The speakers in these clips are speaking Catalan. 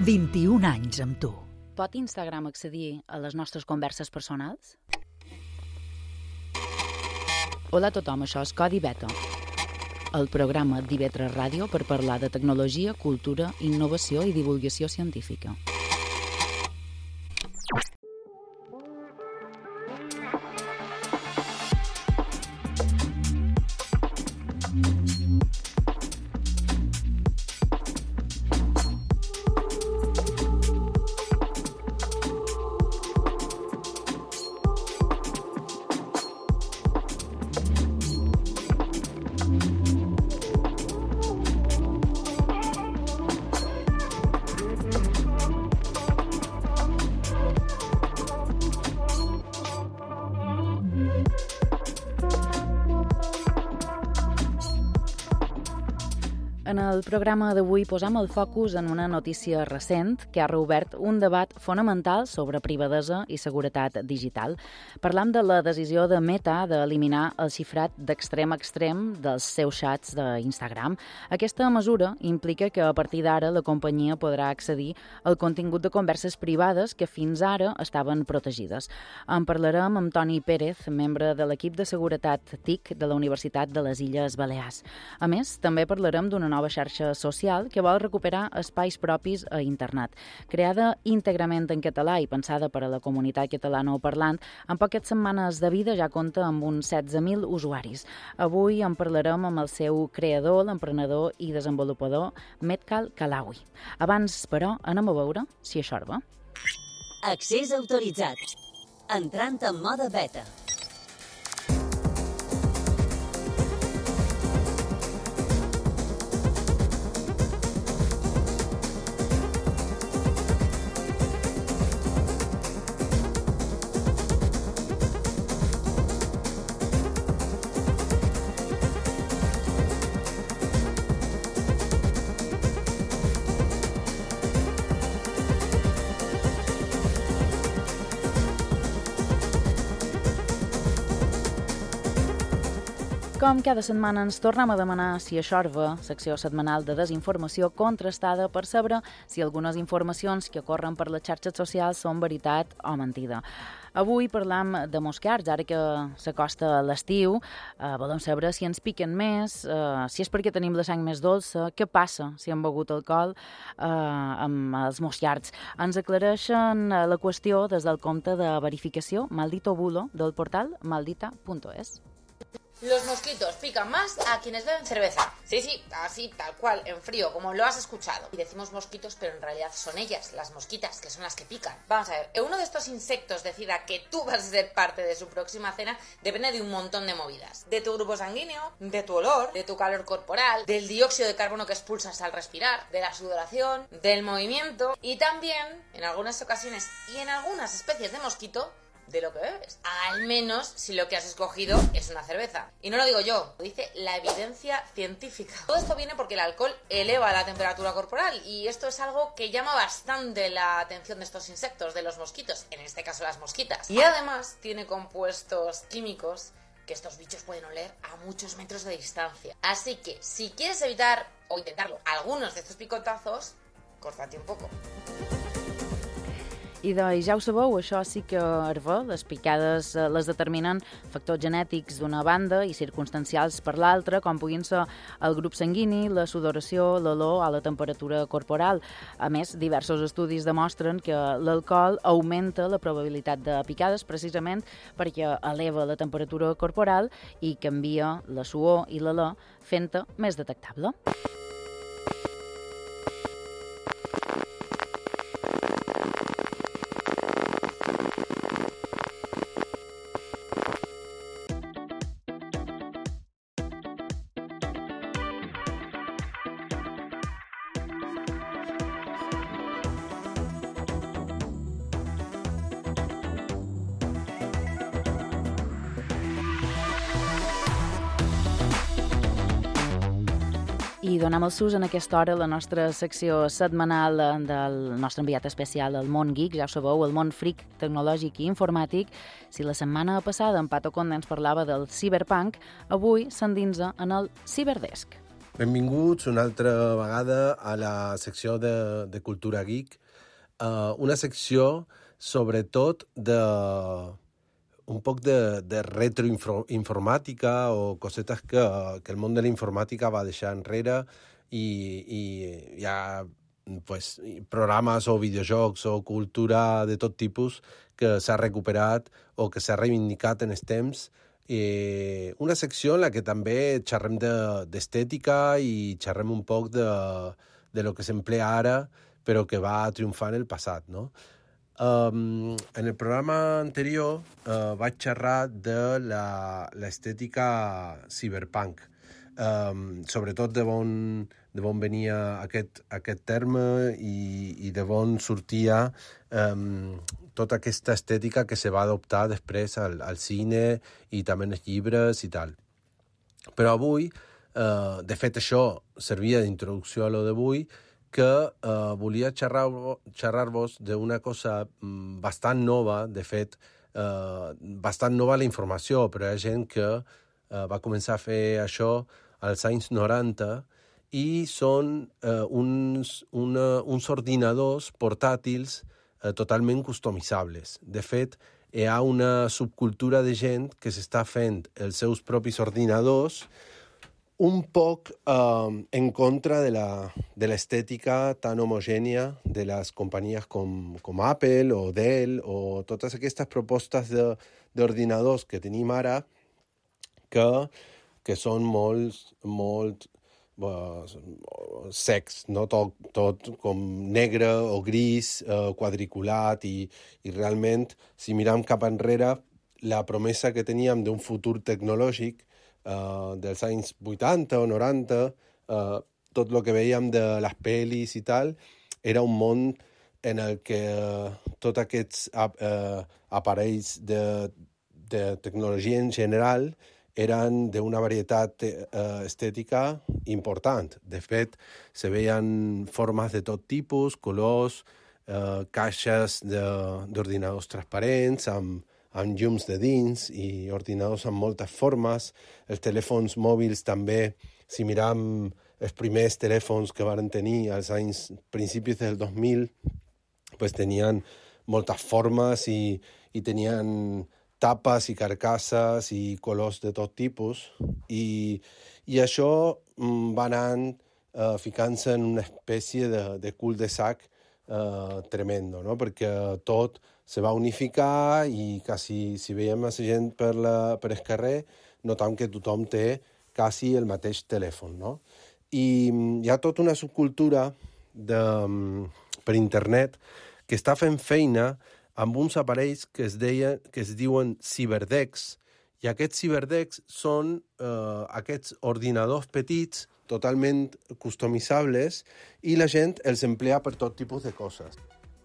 21 anys amb tu. Pot Instagram accedir a les nostres converses personals? Hola a tothom, això és Codi Beta, el programa d'IV3 Ràdio per parlar de tecnologia, cultura, innovació i divulgació científica. En el programa d'avui posam el focus en una notícia recent que ha reobert un debat fonamental sobre privadesa i seguretat digital. Parlam de la decisió de Meta d'eliminar el xifrat d'extrem a extrem dels seus xats d'Instagram. Aquesta mesura implica que a partir d'ara la companyia podrà accedir al contingut de converses privades que fins ara estaven protegides. En parlarem amb Toni Pérez, membre de l'equip de seguretat TIC de la Universitat de les Illes Balears. A més, també parlarem d'una nova xarxa social que vol recuperar espais propis a internet. Creada íntegrament en català i pensada per a la comunitat catalanoparlant, en poques setmanes de vida ja compta amb uns 16.000 usuaris. Avui en parlarem amb el seu creador, l'emprenedor i desenvolupador Metkal Kalawi. Abans, però, anem a veure si això va. Accés autoritzat. Entrant en mode beta. Com cada setmana ens tornem a demanar si això va, secció setmanal de desinformació contrastada per saber si algunes informacions que corren per les xarxes socials són veritat o mentida. Avui parlam de moscards, ara que s'acosta l'estiu, volem saber si ens piquen més, si és perquè tenim la sang més dolça, què passa si hem begut alcohol amb els moscards. Ens aclareixen la qüestió des del compte de verificació Maldito Bulo del portal maldita.es. Los mosquitos pican más a quienes beben cerveza. Sí, así, tal cual, en frío, como lo has escuchado. Y decimos mosquitos, pero en realidad son ellas, las mosquitas, que son las que pican. Vamos a ver, uno de estos insectos decida que tú vas a ser parte de su próxima cena depende de un montón de movidas. De tu grupo sanguíneo, de tu olor, de tu calor corporal, del dióxido de carbono que expulsas al respirar, de la sudoración, del movimiento y también, en algunas ocasiones y en algunas especies de mosquito, de lo que bebes. Al menos si lo que has escogido es una cerveza. Y no lo digo yo, lo dice la evidencia científica. Todo esto viene porque el alcohol eleva la temperatura corporal y esto es algo que llama bastante la atención de estos insectos, de los mosquitos, en este caso las mosquitas. Y además tiene compuestos químicos que estos bichos pueden oler a muchos metros de distancia. Así que si quieres evitar o intentarlo algunos de estos picotazos, córtate un poco. I doncs, ja ho sabeu, això sí que herva. Les picades les determinen factors genètics d'una banda i circumstancials per l'altra, com puguin ser el grup sanguini, la sudoració, l'olor o la temperatura corporal. A més, diversos estudis demostren que l'alcohol augmenta la probabilitat de picades precisament perquè eleva la temperatura corporal i canvia la suor i l'olor, fent-te més detectable. I donem el sus en aquesta hora la nostra secció setmanal del nostre enviat especial al món geek, ja ho sabeu, el món freak tecnològic i informàtic. Si la setmana passada en Pato Conde ens parlava del cyberpunk, avui s'endinsa en el Cyberdesk. Benvinguts una altra vegada a la secció de Cultura Geek, una secció sobretot un poc de retroinformàtica o cosetes que el món de la informàtica va deixar enrere i hi ha pues, programes o videojocs o cultura de tot tipus que s'ha recuperat o que s'ha reivindicat en els temps. Una secció en la que també xerrem d'estètica i xerrem un poc de lo que s'emplea ara però que va triomfar en el passat, no? En el programa anterior vaig xerrar de l'estètica cyberpunk, sobretot de on venia aquest terme i de on sortia tota aquesta estètica que se va adoptar després al cine i també en els llibres i tal. Però avui, de fet això servia d'introducció a lo d'avui, que volia xerrar-vos d'una cosa bastant nova, de fet, bastant nova la informació, però hi ha gent que va començar a fer això als anys 90 i són uns ordinadors portàtils totalment customitzables. De fet, hi ha una subcultura de gent que s'està fent els seus propis ordinadors un poc en contra de l'estètica tan homogènia de les companyies com Apple o Dell o totes aquestes propostes d'ordinadors que tenim ara que són molt secs, no? Tot com negre o gris, quadriculat i realment, si miram cap enrere, la promesa que teníem d'un futur tecnològic dels anys 80 o 90, tot el que veiem de les pel·lis i tal, era un món en el que tots aquests aparells de tecnologia en general eren d'una varietat estètica important. De fet, se veien formes de tot tipus, colors, caixes d'ordinadors transparents, amb llums de dins i ordinadors amb moltes formes. Els telèfons mòbils també, si miram els primers telèfons que van tenir als anys principis del 2000, pues tenien moltes formes i tenien tapes i carcasses i colors de tot tipus. I això va anant ficant-se en una espècie de cul-de-sac tremendo, no? Perquè tot se va unificar i quasi, si veiem a la gent per el carrer, notam que tothom té quasi el mateix telèfon, no? I hi ha tota una subcultura per internet que està fent feina amb uns aparells que es diuen ciberdecks, i aquests ciberdecks són aquests ordinadors petits totalment customitzables i la gent els emplea per tot tipus de coses.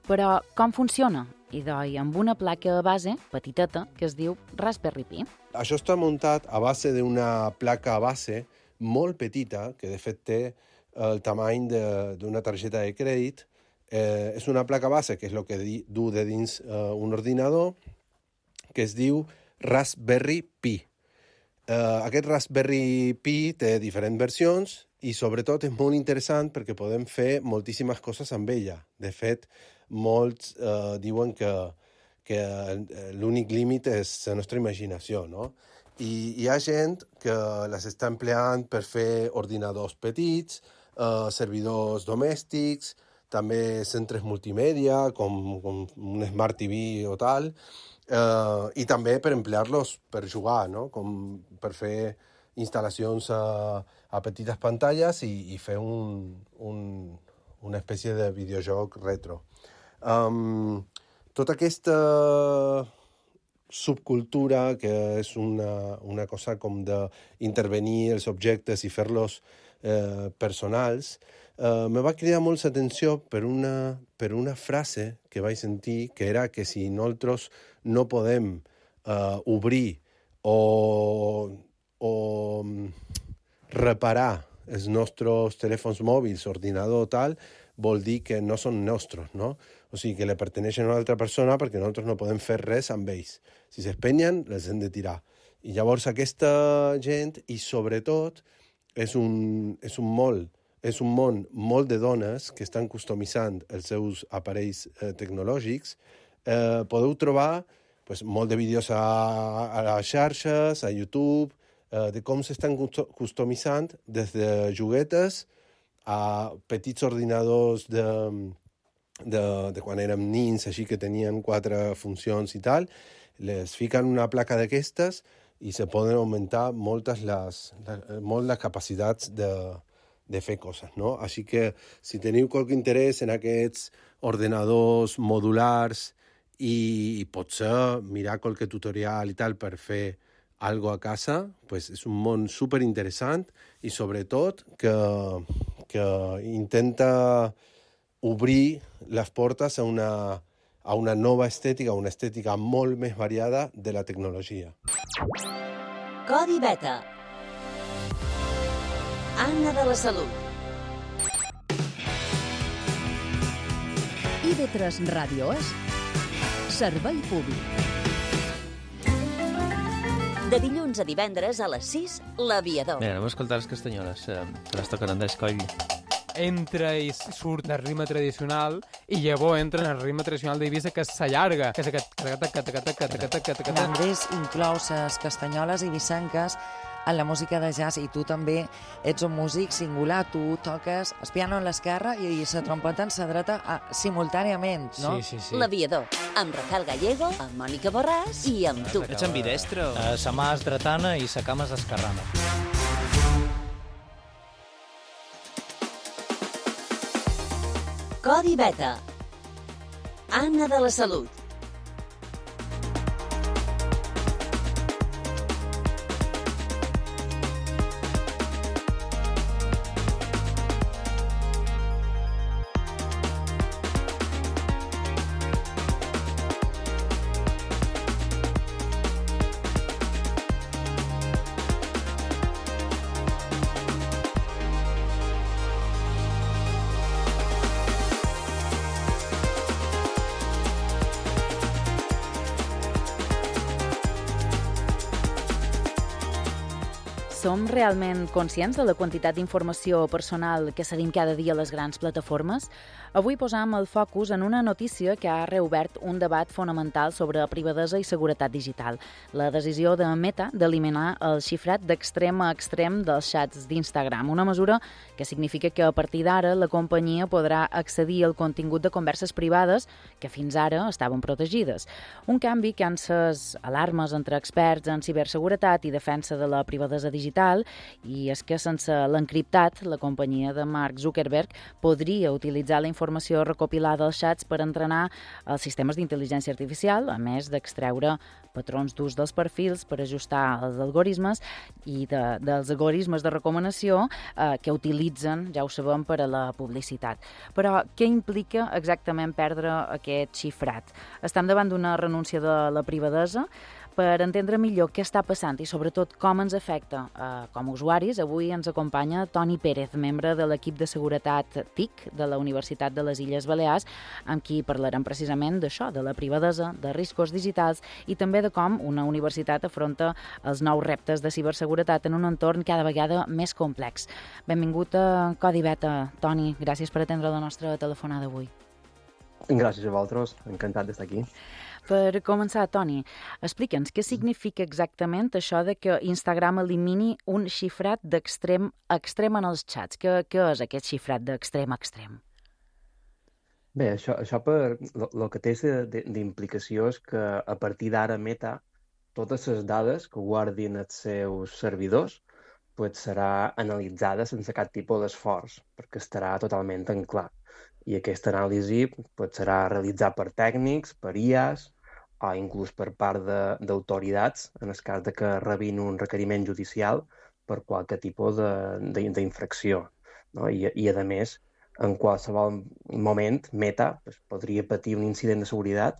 Però com funciona? I doi amb una placa base petiteta que es diu Raspberry Pi. Això està muntat a base d'una placa base molt petita, que de fet té el tamany d'una targeta de crèdit. És una placa base, que és el que du de dins un ordinador, que es diu Raspberry Pi. Aquest Raspberry Pi té diferents versions i sobretot és molt interessant perquè podem fer moltíssimes coses amb ella. De fet, molts diuen que l'únic límit és la nostra imaginació, no? I hi ha gent que les està empleant per fer ordinadors petits, servidors domèstics, també centres multimèdia, com un Smart TV o tal, i també per emplear-los per jugar, no? Com per fer instal·lacions a petites pantalles i fer una espècie de videojoc retro. Tota aquesta subcultura, que és una cosa com d'intervenir els objectes i fer-los personals, me va cridar molt l'atenció per una frase que vaig sentir, que era que si nosaltres no podem obrir o reparar els nostres telèfons mòbils, ordinador o tal, vol dir que no són nostres, no? O sigui, que li perteneixen a una altra persona perquè nosaltres no podem fer res amb ells. Si s'espenyen, les hem de tirar. I llavors aquesta gent, i sobretot és un món molt de dones que estan customitzant els seus aparells tecnològics. Podeu trobar molt de vídeos a les xarxes, a YouTube, de com s'estan customitzant des de juguetes a petits ordinadors de quan érem nins, així que tenien 4 funcions i tal, les fiquen una placa d'aquestes i se poden augmentar molt les capacitats de fer coses, no? Així que si teniu qualque interès en aquests ordenadors modulars i potser mirar qualque tutorial i tal per fer algo a casa, és un món superinteressant i sobretot que intenta obrir les portes a una nova estètica, una estètica molt més variada de la tecnologia. Codi Beta. Anna de la Salut. IB3 Ràdio és Servei Públic. De dilluns a divendres a les 6, L'Aviador. Bé, anem a escoltar les castanyoles, que les toquen Andrés Coll. Entra i surt el ritme tradicional i llavors entra en el ritme tradicional d'Eivissa, que s'allarga, que és aquest... Andrés inclou les castanyoles eivissenques en la música de jazz i tu també ets un músic singular, tu toques el piano en l'esquerra i la trompeta en la dreta simultàniament, no? Sí. L'Aviador, amb Rafael Gallego, amb Mònica Borràs i amb tu. Ets ambidestre? Sa mà és dretana i sa cama és esquerrana. Codi Beta. Anna de la Salut. Som realment conscients de la quantitat d'informació personal que cedim cada dia a les grans plataformes? Avui posam el focus en una notícia que ha reobert un debat fonamental sobre privadesa i seguretat digital. La decisió de Meta d'eliminar el xifrat d'extrem a extrem dels xats d'Instagram, una mesura que significa que a partir d'ara la companyia podrà accedir al contingut de converses privades que fins ara estaven protegides. Un canvi que han encès alarmes entre experts en ciberseguretat i defensa de la privadesa digital, i és que sense l'encriptat, la companyia de Mark Zuckerberg podria utilitzar la informació recopilada als xats per entrenar els sistemes d'intel·ligència artificial, a més d'extreure patrons d'ús dels perfils per ajustar els algoritmes i dels algoritmes de recomanació que utilitzen, ja ho sabem, per a la publicitat. Però què implica exactament perdre aquest xifrat? Estem davant d'una renúncia de la privadesa? Per entendre millor què està passant i sobretot com ens afecta com a usuaris, avui ens acompanya Toni Pérez, membre de l'equip de seguretat TIC de la Universitat de les Illes Balears, amb qui parlarem precisament d'això, de la privadesa, de riscos digitals i també de com una universitat afronta els nous reptes de ciberseguretat en un entorn cada vegada més complex. Benvingut a Codi Beta, Toni. Gràcies per atendre la nostra telefonada avui. Gràcies a vosaltres, encantat d'estar aquí. Per començar, Toni, explica'ns què significa exactament això de que Instagram elimini un xifrat d'extrem a extrem en els xats. Què és aquest xifrat d'extrem a extrem? Bé, això per el que té d'implicació és que a partir d'ara Meta, totes les dades que guardin els seus servidors serà analitzada sense cap tipus d'esforç, perquè estarà totalment en clar. I aquesta anàlisi serà realitzada per tècnics, per IAs, o inclús per part d'autoritats, en el cas que rebin un requeriment judicial per qualsevol tipus d'infracció. No? I, a més, en qualsevol moment, Meta podria patir un incident de seguretat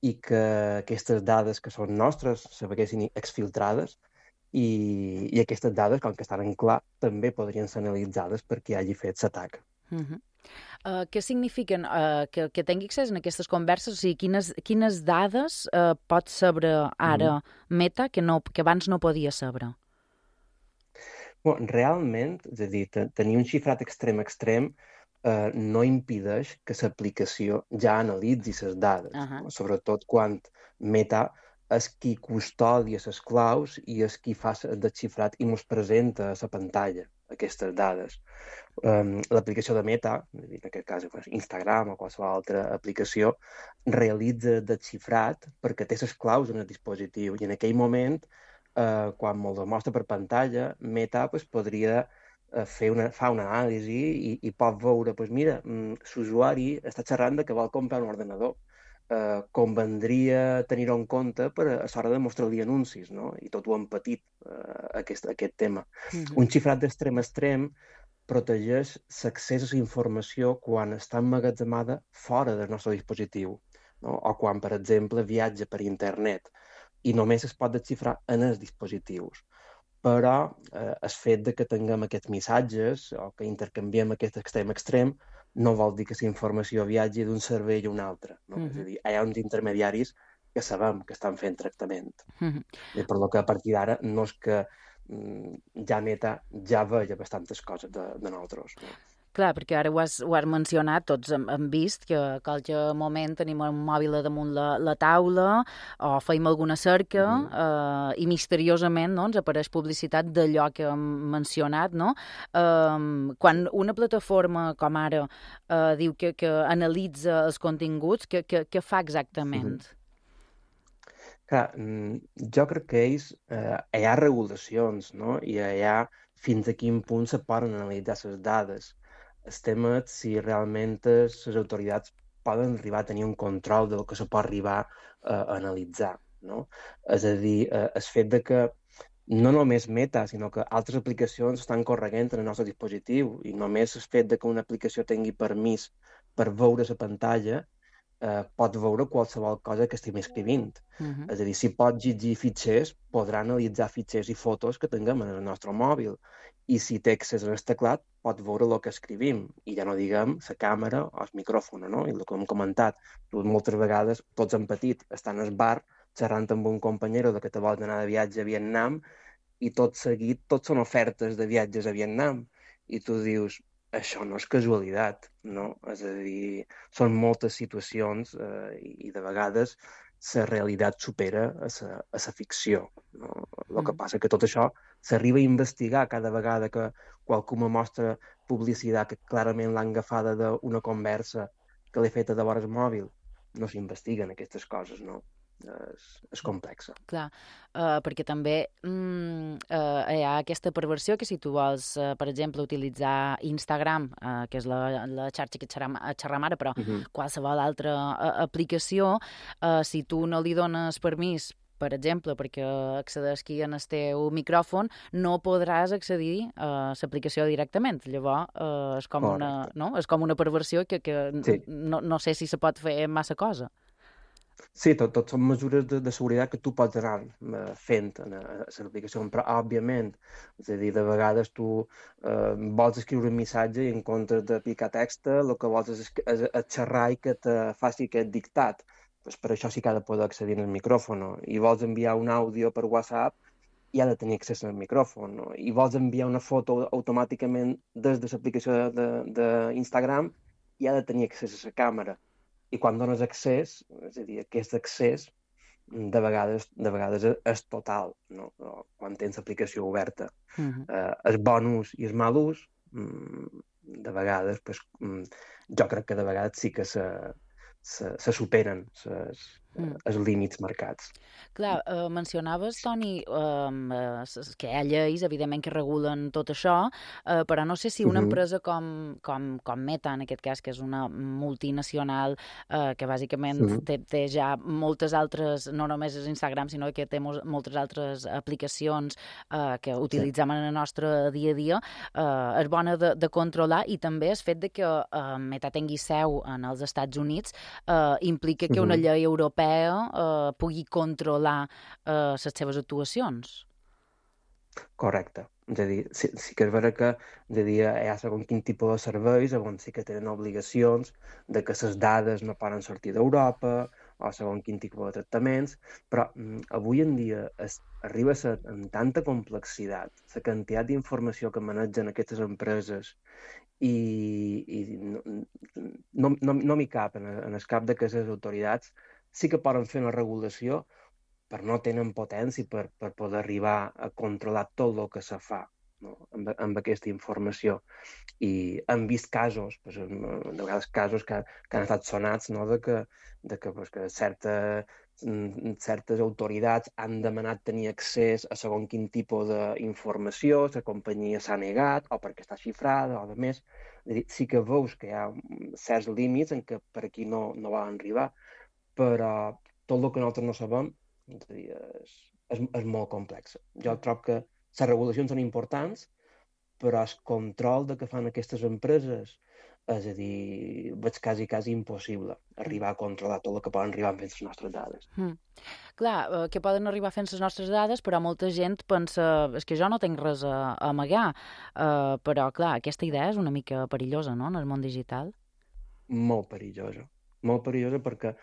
i que aquestes dades que són nostres se veiessin exfiltrades i aquestes dades, com que estan en clar, també podrien ser analitzades per qui hagi fet l'atac. Què signifiquen que tingui accés en aquestes converses? O sigui, quines dades pot saber ara Meta que abans no podia saber? Realment, és a dir, tenir un xifrat extrem no impedeix que l'aplicació ja analitzi les dades, no? Sobretot quan Meta és qui custodia les claus i és qui fa el desxifrat i ens presenta a la pantalla aquestes dades. L'aplicació de Meta, en aquest cas Instagram o qualsevol altra aplicació, realitza el desxifrat perquè té les claus en el dispositiu i en aquell moment, quan me'ls mostra per pantalla, Meta podria fa una anàlisi i pot veure, mira, l'usuari està xerrant de que vol comprar un ordenador. Convendria tenir-ho en compte a l'hora de mostrar-li anuncis, no? I tot ho hem patit, aquest tema. Un xifrat d'extrem a extrem protegeix l'accés a la informació quan està emmagatzemada fora del nostre dispositiu, no? O quan, per exemple, viatja per internet i només es pot desxifrar en els dispositius. Però el fet de que tinguem aquests missatges o que intercanviem aquest extrem no vol dir que la informació viatgi d'un servei a un altre. No? És a dir, hi ha uns intermediaris que sabem que estan fent tractament. I per lo que a partir d'ara no és que ja Meta ja veia bastantes coses de nosaltres. No? Clar, perquè ara ho has mencionat, tots hem vist que a qualsevol moment tenim un mòbil damunt la taula o feim alguna cerca i misteriosament ens apareix publicitat d'allò que hem mencionat, no? Quan una plataforma com ara diu que analitza els continguts, què fa exactament? Clar, jo crec que hi ha regulacions, no? I hi ha fins a quin punt se poden analitzar les dades. El tema és si realment les autoritats poden arribar a tenir un control del que se pot arribar a analitzar, no? És a dir, el fet de que no només Meta, sinó que altres aplicacions estan corregint en el nostre dispositiu i només el fet de que una aplicació tingui permís per veure la pantalla pot veure qualsevol cosa que estem escrivint. És a dir, si pot llegir fitxers, podrà analitzar fitxers i fotos que tinguem en el nostre mòbil. I si té accés al teclat, pot veure el que escrivim. I ja no diguem la càmera o el micròfon, no? I el que hem comentat, moltes vegades tots hem patit, estan al bar xerrant amb un companyero de que te vols anar de viatge a Vietnam i tot seguit tots són ofertes de viatges a Vietnam. I tu dius, això no és casualitat, no? És a dir, són moltes situacions i de vegades la realitat supera a la ficció. No? El que passa que tot això s'arriba a investigar cada vegada que qualcú me mostra publicitat que clarament l'han agafada d'una conversa que l'he feta de vora el mòbil. No s'investiguen aquestes coses, no? És complexa. Clar, perquè també hi ha aquesta perversió que si tu vols, per exemple, utilitzar Instagram, que és la xarxa que xerram ara, però qualsevol altra aplicació, si tu no li dones permís, per exemple, perquè accedeixi en el teu micròfon, no podràs accedir a l'aplicació directament. Llavors, és com una perversió que no sé si se pot fer massa cosa. Sí, tot són mesures de seguretat que tu pots anar fent en l'aplicació, però òbviament, és a dir, de vegades tu vols escriure un missatge i en comptes de picar text, el que vols és xerrar i que te faci aquest dictat. Per això sí que ha de poder accedir al micròfon. I vols enviar un àudio per WhatsApp i ha de tenir accés al micròfon. I vols enviar una foto automàticament des de l'aplicació d'Instagram i ha de tenir accés a la càmera. I quan dones accés, és a dir, aquest accés de vegades és total, no? Quan tens l'aplicació oberta. El bon ús i el mal ús, de vegades, jo crec que de vegades sí que se superen els límits marcats. Clar, mencionaves, Toni, que hi ha lleis, evidentment, que regulen tot això, però no sé si una empresa com Meta, en aquest cas, que és una multinacional que bàsicament té ja moltes altres, no només és Instagram, sinó que té moltes altres aplicacions que utilitzem en el nostre dia a dia, és bona de controlar, i també el fet de que Meta tingui seu en els Estats Units implica que una llei europea pugui controlar les seves actuacions. Correcte. És a dir, sí que és vera que hi ha segons quin tipus de serveis on sí que tenen obligacions de que les dades no poden sortir d'Europa o segons quin tipus de tractaments, però avui en dia arriba a ser amb tanta complexitat la quantitat d'informació que manegen aquestes empreses i no m'hi cap en el cap de que les autoritats sí que poden fer una regulació, però no tenen potència per poder arribar a controlar tot el que se fa, no? amb aquesta informació. I hem vist casos, de vegades casos que han estat sonats, no? de que certes autoritats han demanat tenir accés a segons quin tipus d'informació, la companyia s'ha negat, o perquè està xifrada, o de més. Sí que veus que hi ha certs límits en què per aquí no van arribar, però tot el que nosaltres no sabem és molt complex. Jo trobo que les regulacions són importants, però el control de què fan aquestes empreses, és a dir, veig quasi impossible arribar a controlar tot el que poden arribar fent les nostres dades. Clar, que poden arribar fent les nostres dades, però molta gent pensa, és que jo no tinc res a amagar, però clar, aquesta idea és una mica perillosa, no?, en el món digital. Molt perillosa perquè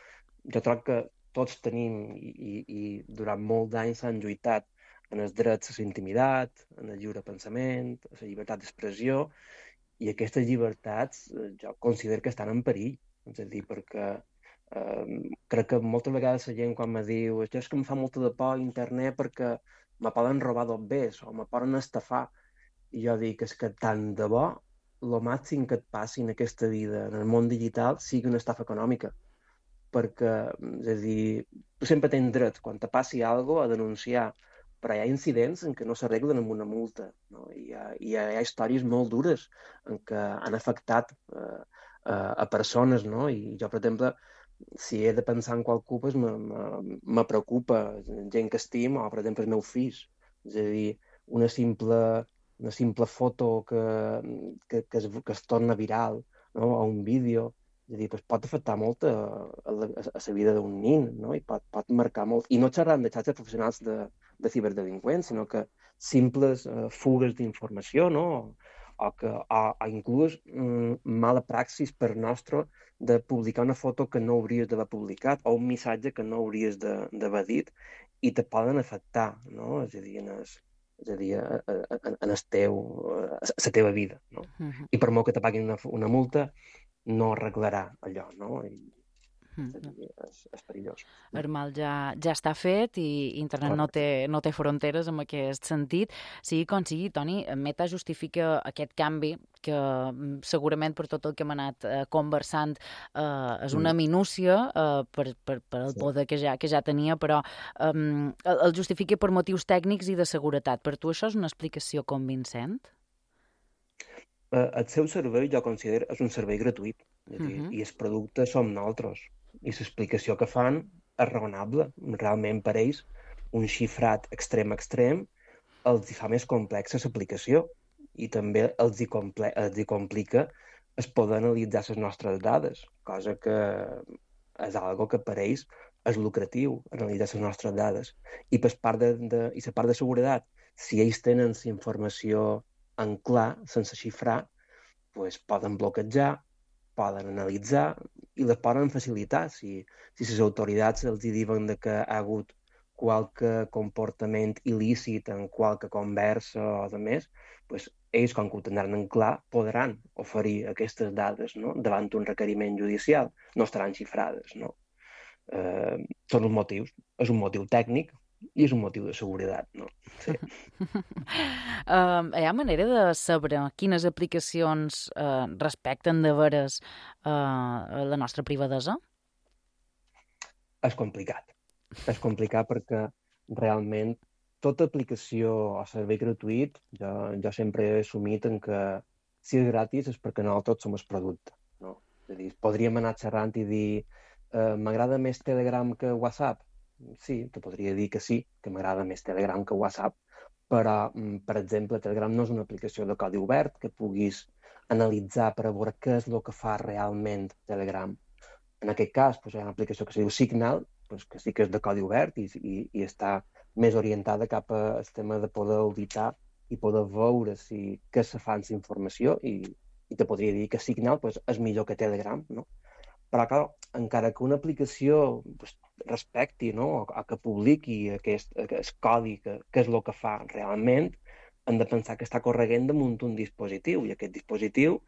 jo trobo que tots tenim i durant molts anys s'han lluitat en els drets a la intimitat, en el lliure pensament, a la llibertat d'expressió, i aquestes llibertats jo considero que estan en perill. És a dir, perquè crec que moltes vegades la gent quan me diu és que em fa molta de por a internet perquè me poden robar dos bés o me poden estafar. I jo dic que tant de bo el màxim que et passi en aquesta vida, en el món digital, sigui una estafa econòmica. Perquè, és a dir, tu sempre tens dret, quan te passi alguna cosa, a denunciar, però hi ha incidents en què no s'arreglen amb una multa, no? Hi ha històries molt dures en què han afectat a persones, no? I jo, per exemple, si he de pensar en qualcú, pues me preocupa gent que estimo, o, per exemple, els meus fills. És a dir, una simple foto que es torna viral, no? O un vídeo, és a dir, pot afectar molt a la vida d'un nin, no? I pot marcar molt. I no xerrant de xarxes professionals de ciberdelinqüents, sinó que simples fugues d'informació, no? O inclús mala praxis per nostre de publicar una foto que no hauries d'haver publicat o un missatge que no hauries d'haver dit i te poden afectar, no? És a dir, en la teva vida, no? I per molt que te paguin una multa, no arreglarà allò, no? És perillós. El mal ja està fet i internet no té fronteres en aquest sentit. Sigui com sigui, Toni, Meta justifica aquest canvi que segurament per tot el que hem anat conversant és una minúcia per el poder que ja tenia, però el justifica per motius tècnics i de seguretat. Per tu això és una explicació convincent? El seu servei, jo considero, és un servei gratuït, i els productes som nosaltres, i l'explicació que fan és raonable. Realment per ells un xifrat extrem els fa més complexa l'aplicació i també els complica es poder analitzar les nostres dades, cosa que és algo que per ells és lucratiu, analitzar les nostres dades. I per part de seguretat, si ells tenen la informació en clar, sense xifrar, pues poden bloquejar, poden analitzar i les poden facilitar. Si les autoritats els diuen que ha hagut qualque comportament il·lícit en qualque conversa o de més, pues ells, com que ho tindran en clar, podran oferir aquestes dades, no? Davant un requeriment judicial. No estaran xifrades, no? Són els motius. És un motiu tècnic i és un motiu de seguretat, no? Sí. Hi ha manera de saber quines aplicacions respecten de veres la nostra privadesa? És complicat. És complicat perquè realment tota aplicació o servei gratuït, jo sempre he assumit en que si és gratis és perquè nosaltres som el producte, no? És a dir, podríem anar xerrant i dir m'agrada més Telegram que WhatsApp? Sí, te podria dir que sí, que m'agrada més Telegram que WhatsApp, però, per exemple, Telegram no és una aplicació de codi obert que puguis analitzar per a veure què és el que fa realment Telegram. En aquest cas, hi ha una aplicació que es diu Signal, que sí que és de codi obert i està més orientada cap al tema de poder auditar i poder veure què se fa amb la informació i te podria dir que Signal és millor que Telegram, no? Però, clar, encara que una aplicació respecti, no? o que publiqui aquest codi, que és el que fa realment, hem de pensar que està correguent damunt un dispositiu, i aquest dispositiu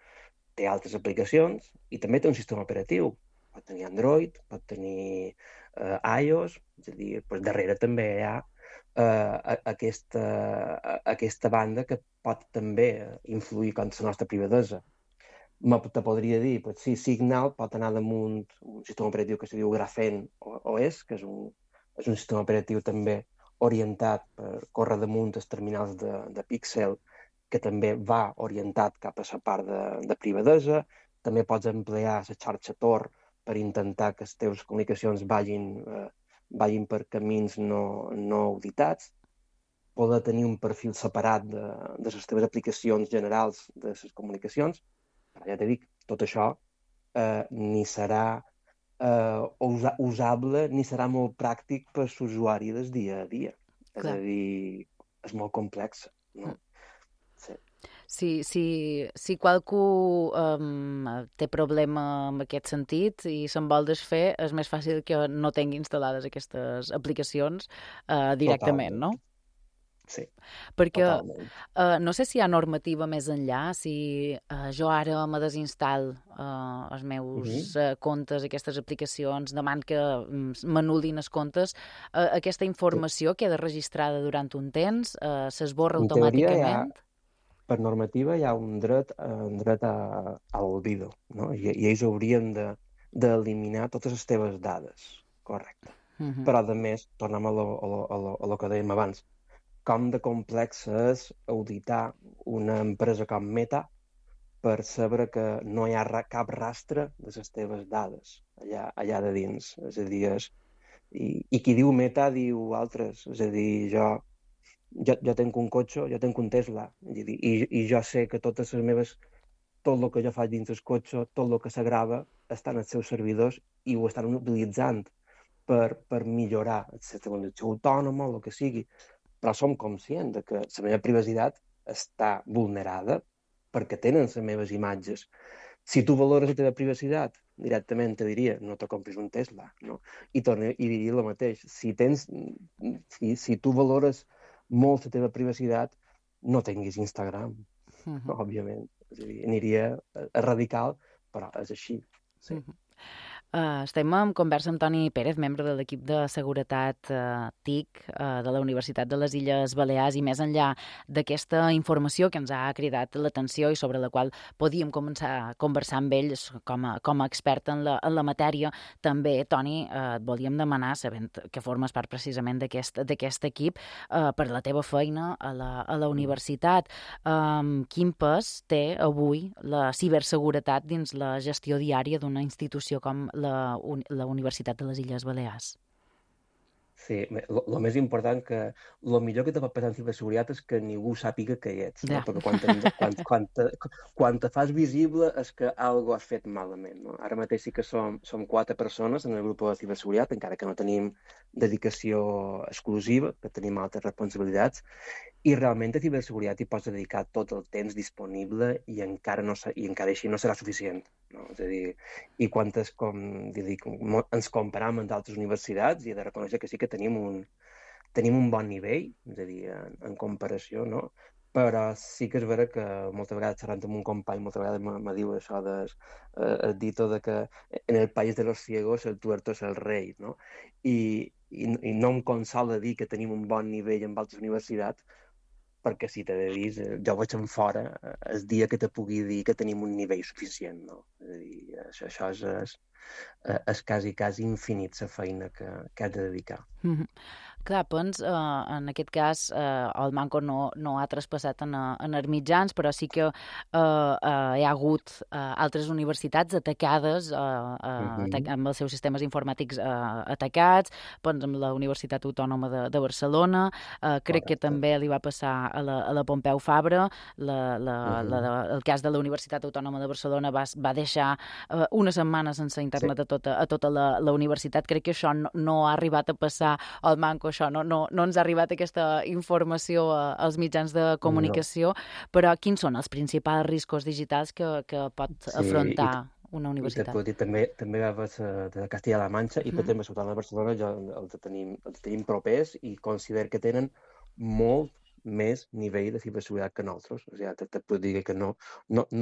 té altres aplicacions i també té un sistema operatiu. Pot tenir Android, pot tenir iOS, és a dir, darrere també hi ha aquesta banda que pot també influir contra la nostra privadesa. Te podria dir, sí, Signal pot anar damunt un sistema operatiu que se diu Graphene OS, que és un sistema operatiu també orientat per córrer damunt els terminals de Pixel, que també va orientat cap a la part de privadesa. També pots emplear la xarxa Tor per intentar que les teves comunicacions vagin per camins no auditats. Poder tenir un perfil separat de les teves aplicacions generals de les comunicacions. Però ja t'he dit, tot això ni serà usable ni serà molt pràctic per l'usuari del dia a dia. Clar. És a dir, és molt complex, no? Sí. Si qualcú té problema en aquest sentit i se'n vol desfer, és més fàcil que no tingui instal·lades aquestes aplicacions directament, no? Sí, perquè no sé si hi ha normativa més enllà, si jo ara me desinstal els meus comptes, aquestes aplicacions, demano que m'anul·lin els comptes, aquesta informació queda registrada durant un temps, s'esborra automàticament? Per normativa hi ha un dret a l'olvido, no? I ells haurien d'eliminar totes les teves dades, correcte. Però, a més, tornem a lo que dèiem abans, com de complex és auditar una empresa com Meta per saber que no hi ha cap rastre de les teves dades allà de dins. És a dir, i qui diu Meta diu altres. És a dir, jo tinc un cotxe, jo tinc un Tesla, i jo sé que tot el que jo faig dins el cotxe, tot el que s'agrava, està en els seus servidors i ho estan utilitzant per millorar la conducció autònoma o el que sigui. Però som conscients que la meva privacitat està vulnerada perquè tenen les meves imatges. Si tu valores la teva privacitat, directament te diria, no te compris un Tesla, no? I diria el mateix. Si tu valores molt la teva privacitat, no tinguis Instagram, òbviament. És a dir, aniria radical, però és així. Sí. Estem en conversa amb Toni Pérez, membre de l'equip de seguretat TIC de la Universitat de les Illes Balears, i més enllà d'aquesta informació que ens ha cridat l'atenció i sobre la qual podíem començar a conversar amb ells com a expert en la matèria, també, Toni, et volíem demanar, sabent que formes part precisament d'aquest equip, per la teva feina a la universitat, quin pes té avui la ciberseguretat dins la gestió diària d'una institució com la Universitat de les Illes Balears? Sí, el més important, que el millor que te pot passar en ciberseguretat és que ningú sàpiga que hi ets, no? Perquè quan te fas visible és que alguna has fet malament, no? Ara mateix sí que som 4 persones en el grup de ciberseguretat, encara que no tenim dedicació exclusiva, que tenim altres responsabilitats, i realment a ciberseguretat hi pots dedicar tot el temps disponible i encara així no serà suficient, no? És a dir, i quan ens comparem amb altres universitats, i he de reconèixer que sí que tenim un bon nivell, és a dir, en comparació, no? Però sí que és vera que moltes vegades xerrant amb un company, moltes vegades me diu això el dito de que en el país de los ciegos el tuerto es el rei, no? I no em consola dir que tenim un bon nivell en altres universitats, perquè si t'he de dir, jo vaig en fora el dia que te pugui dir que tenim un nivell suficient, no? És a dir, això és quasi infinit la feina que has de dedicar. Clar, en aquest cas el Manco no ha traspassat en els mitjans, però sí que hi ha hagut altres universitats atacades, amb els seus sistemes informàtics atacats, amb la Universitat Autònoma de Barcelona, crec que també li va passar a la Pompeu Fabra, el cas de la Universitat Autònoma de Barcelona va deixar una setmana sense internet a tota la universitat. Crec que això no ha arribat a passar al Manco, això no ens ha arribat aquesta informació als mitjans de comunicació, però quins són els principals riscos digitals que pot afrontar una I universitat. tot, i també va de Castilla-La Manxa i per exemple, a Ciutat de Barcelona els tenim propers i considero que tenen molt més nivell de ciberseguretat que nosaltres. O sigui, te puc dir que no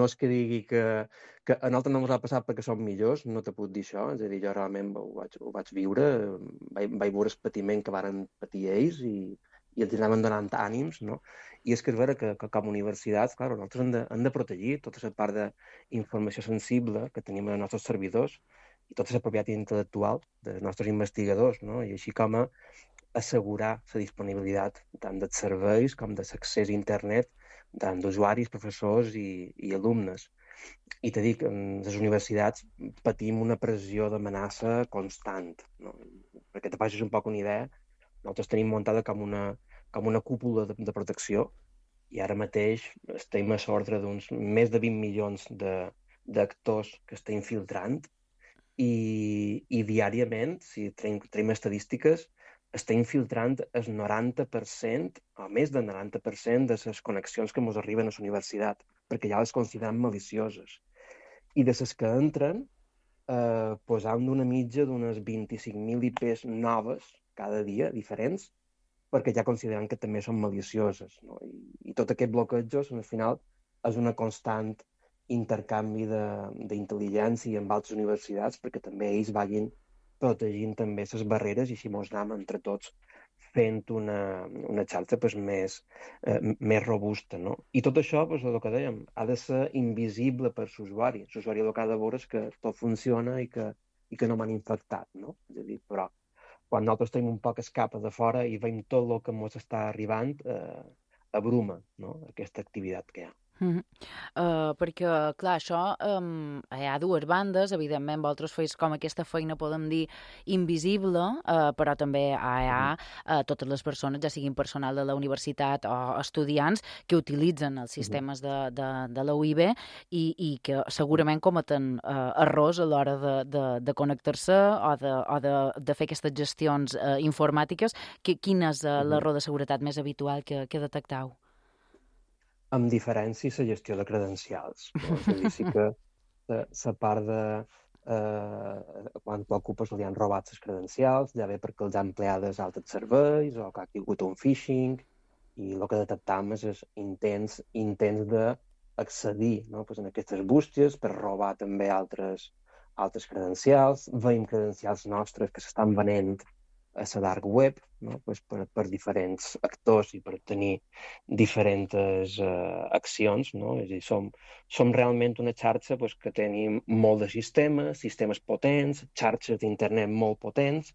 és que digui que a nosaltres no ens ha passat perquè som millors, no te puc dir això. És a dir, jo realment ho vaig viure, vaig veure el patiment que varen patir ells i els anaven donant ànims, no? I és que és vera que com a universitats, clar, nosaltres hem de protegir tota la part d'informació sensible que tenim als nostres servidors i tota la propietat intel·lectual dels nostres investigadors, no? I així com a assegurar la disponibilitat tant dels serveis com de l'accés a internet tant d'usuaris, professors i alumnes. I t'he dit, en les universitats patim una pressió d'amenaça constant, no? Perquè te facis un poc una idea, nosaltres tenim muntada com una cúpula de protecció i ara mateix estem a l'ordre d'uns més de 20 milions d'actors que estem filtrant i diàriament, si tenim estadístiques, estem filtrant el 90% o més del 90% de les connexions que ens arriben a la universitat, perquè ja les considerem malicioses. I de les que entren, posam d'una mitja d'unes 25.000 IPs noves cada dia, diferents, perquè ja consideren que també són malicioses, no? I tot aquest bloquejos, al final, és una constant intercanvi d'intel·ligència amb altres universitats perquè també ells vagin protegint també les barreres i així mos anem entre tots fent una xarxa més robusta, no? I tot això, el que dèiem, ha de ser invisible per l'usuari. L'usuari el que ha de veure és que tot funciona i que no m'han infectat, no? És a dir, però quan nosaltres tenim un poc escapa de fora i veiem tot el que ens està arribant, abruma, no? Aquesta activitat que hi ha. Perquè, clar, això hi ha dues bandes, evidentment vosaltres feis com aquesta feina, podem dir, invisible, però també hi ha totes les persones, ja siguin personal de la universitat o estudiants, que utilitzen els sistemes de la UIB i que segurament cometen errors a l'hora de connectar-se o de fer aquestes gestions informàtiques. Quin és l'error de seguretat més habitual que detectau? Amb diferència la gestió de credencials. No? És a dir, sí que la part de quan t'ocupes li han robat les credencials, ja bé perquè els han empleades altres serveis o que ha tingut un phishing i el que detectam és intents d'accedir, no? Pues en aquestes bústies per robar també altres credencials. Veiem credencials nostres que s'estan venent a la dark web, no? Pues per diferents actors i per tenir diferents accions, no? És a dir, som realment una xarxa pues, que tenim molt de sistemes potents, xarxes d'internet molt potents,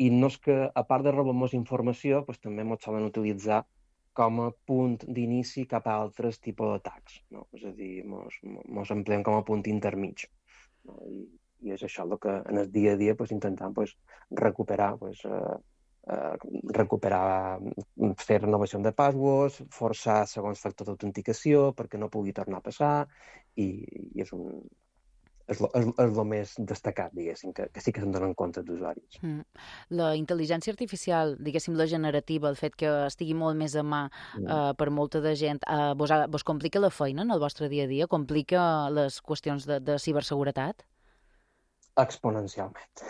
i no és que, a part de robar-nos informació, pues, també ens solen utilitzar com a punt d'inici cap a altres tipus d'atacs, no? És a dir, ens empleem com a punt intermig, no? I és això el que en el dia a dia pues, intentem pues, recuperar, fer renovació de passwords, forçar segons factor d'autenticació perquè no pugui tornar a passar i és el més destacat, diguéssim, que sí que se'n donen compte d'usuaris. La intel·ligència artificial, diguéssim, la generativa, el fet que estigui molt més a mà per molta de gent, vos complica la feina en el vostre dia a dia? Complica les qüestions de ciberseguretat? Exponencialment.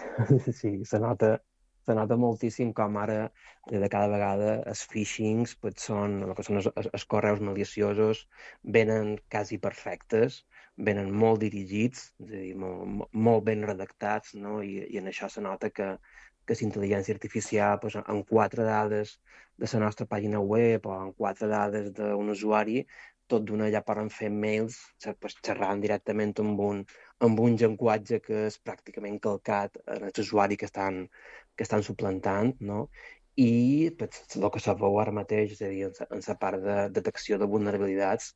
Sí, se nota moltíssim com ara de cada vegada els phishings són els correus maliciosos venen quasi perfectes, venen molt dirigits, és a dir, molt ben redactats, no? I en això se nota que la intel·ligència artificial en 4 dades de la nostra pàgina web o en 4 dades d'un usuari tot d'una ja poden fer mails xerrant directament amb un llenguatge que és pràcticament calcat en els usuaris que estan suplantant, no? I el que se veu ara mateix, és a dir, en la part de detecció de vulnerabilitats,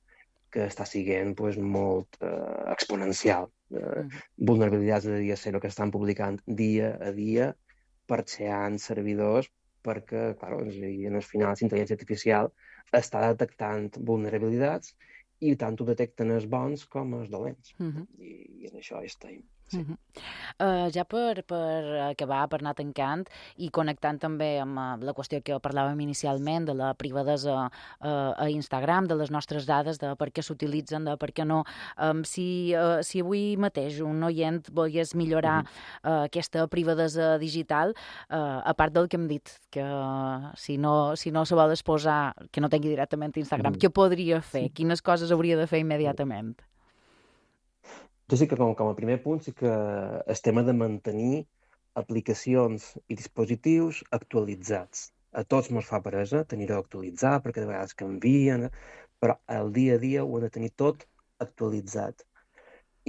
que està sent molt exponencial. Vulnerabilitats de dia zero que estan publicant dia a dia, parxeant servidors, perquè, clar, en el final, la intel·ligència artificial està detectant vulnerabilitats i tant ho detecten els bons com els dolents. I en això estem. Sí. Ja per acabar, per anar tancant i connectant també amb la qüestió que parlàvem inicialment de la privadesa a Instagram, de les nostres dades, de per què s'utilitzen, de per què no. Si avui mateix un oient volgués millorar aquesta privadesa digital, a part del que hem dit, que si no se vol exposar, que no tingui directament Instagram, què podria fer? Quines coses hauria de fer immediatament? Jo sí que com a primer punt sí que el tema de mantenir aplicacions i dispositius actualitzats. A tots ens fa peresa tenir-ho actualitzat perquè de vegades canvien, però el dia a dia ho hem de tenir tot actualitzat.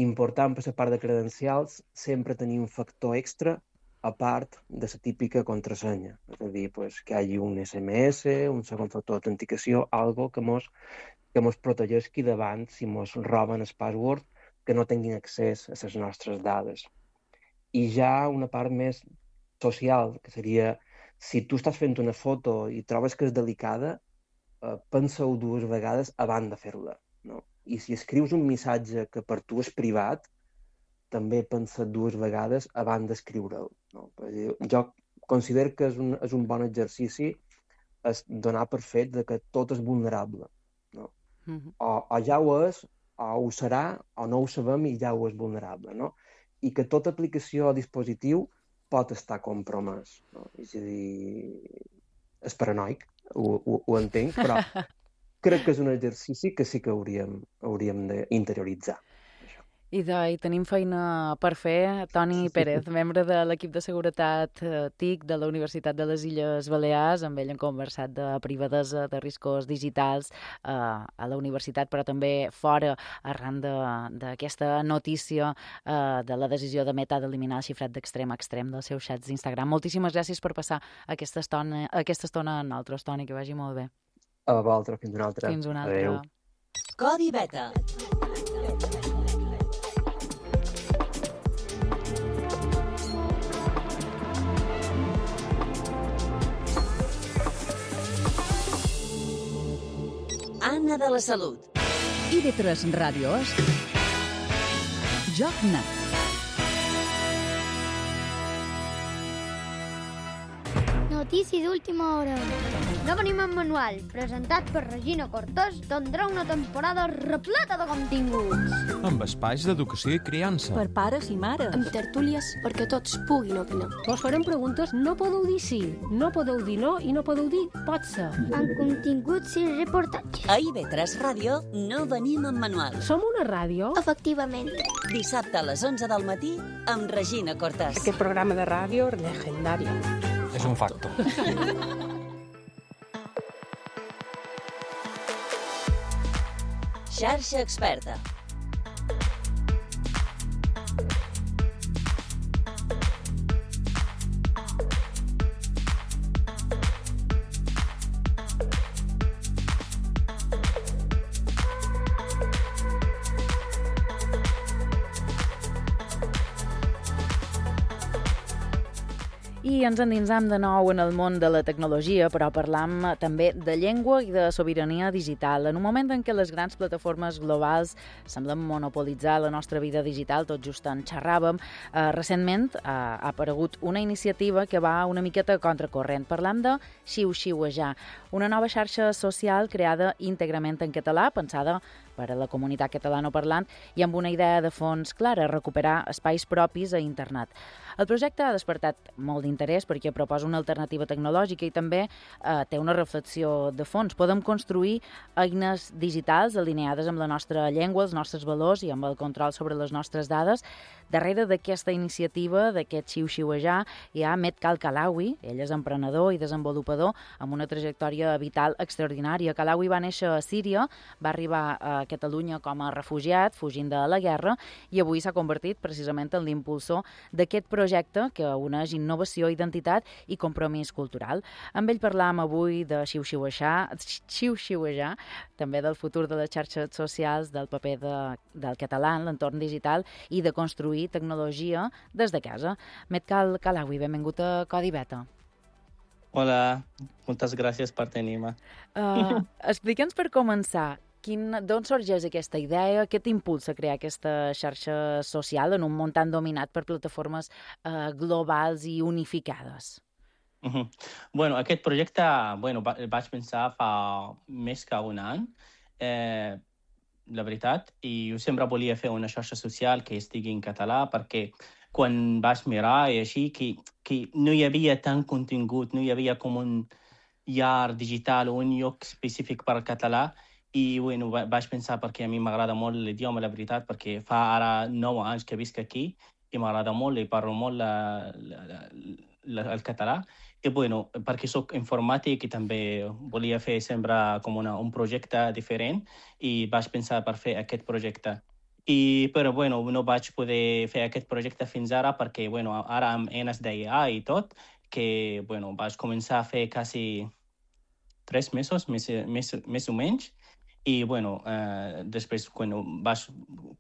Important per la part de credencials sempre tenir un factor extra a part de la típica contrasenya. És a dir, que hi hagi un SMS, un segon factor d'autenticació, algo que mos protegeixi davant si mos roben el password, que no tinguin accés a les nostres dades. I ja una part més social, que seria, si tu estàs fent una foto i trobes que és delicada, pensa-ho 2 vegades abans de fer-la. No? I si escrius un missatge que per tu és privat, també pensa 2 vegades abans d'escriure'l. No? Jo considero que és un bon exercici donar per fet de que tot és vulnerable. No? O ja ho és, o ho serà, o no ho sabem i ja ho és vulnerable, no? I que tota aplicació o dispositiu pot estar compromès, no? És a dir, és paranoic, ho entenc, però crec que és un exercici que sí que hauríem d'interioritzar. I tenim feina per fer. Toni Pérez, membre de l'equip de seguretat TIC de la Universitat de les Illes Balears, amb ell hem conversat de privadesa, de riscos digitals a la universitat, però també fora, arran d'aquesta notícia de la decisió de Meta d'eliminar el xifrat d'extrem a extrem dels seus xats d'Instagram. Moltíssimes gràcies per passar aquesta estona amb nosaltres, Toni, que vagi molt bé. A vosaltres, fins una altra. Fins una altra. Adéu. Codi Beta. Anna de la Salut. IB3 Ràdio és Joc Net. Notícia d'última hora. No venim en manual, presentat per Regina Cortés, tindrà una temporada repleta de continguts. Amb espais d'educació i criança. Per pares i mares. Amb tertúlies perquè tots puguin opinar. Vos farem preguntes, no podeu dir sí, no podeu dir no i no podeu dir pot ser. Amb continguts i reportatges. A IB3 Ràdio no venim en manual. Som una ràdio? Efectivament. Dissabte a les 11 del matí amb Regina Cortés. Aquest programa de ràdio legendari. És un facto. Xarxa Experta. I ens endinsam de nou en el món de la tecnologia, però parlam també de llengua i de sobirania digital. En un moment en què les grans plataformes globals semblen monopolitzar la nostra vida digital, tot just en xerràvem, recentment ha aparegut una iniciativa que va una miqueta contracorrent. Parlam de Xiu-Xiuejar, una nova xarxa social creada íntegrament en català, pensada per a la comunitat catalanoparlant i amb una idea de fons clara, recuperar espais propis a internet. El projecte ha despertat molt d'interès perquè proposa una alternativa tecnològica i també té una reflexió de fons. Podem construir eines digitals alineades amb la nostra llengua, els nostres valors i amb el control sobre les nostres dades. Darrere d'aquesta iniciativa, d'aquest xiu-xiuejar, hi ha Met Kalawi. Ell és emprenedor i desenvolupador amb una trajectòria vital extraordinària. Kalawi va néixer a Síria, va arribar a Catalunya com a refugiat, fugint de la guerra, i avui s'ha convertit precisament en l'impulsor d'aquest projecte que uneix innovació, identitat i compromís cultural. Amb ell parlam avui de xiu-xiuejar, també del futur de les xarxes socials, del paper del català en l'entorn digital i de construir tecnologia des de casa. Met Kalawi, benvingut a Codi Beta. Hola, moltes gràcies per tenir-me. Explica'ns per començar, D'on sorgeix aquesta idea? Què t'impulsa a crear aquesta xarxa social en un món tan dominat per plataformes globals i unificades? Bueno, aquest projecte vaig pensar fa més que un any, la veritat, i jo sempre volia fer una xarxa social que estigui en català perquè quan vaig mirar i així, que no hi havia tant contingut, no hi havia com un llar digital o un lloc específic per al català, i vaig pensar perquè a mi m'agrada molt l'idioma, la veritat, perquè fa ara 9 anys que visc aquí i m'agrada molt i parlo molt el català. I perquè soc informàtic i també volia fer sempre com un projecte diferent i vaig pensar per fer aquest projecte. Però no vaig poder fer aquest projecte fins ara perquè ara amb eines d'AI i tot, que vaig començar a fer quasi 3 mesos, més o menys, i després quan vaig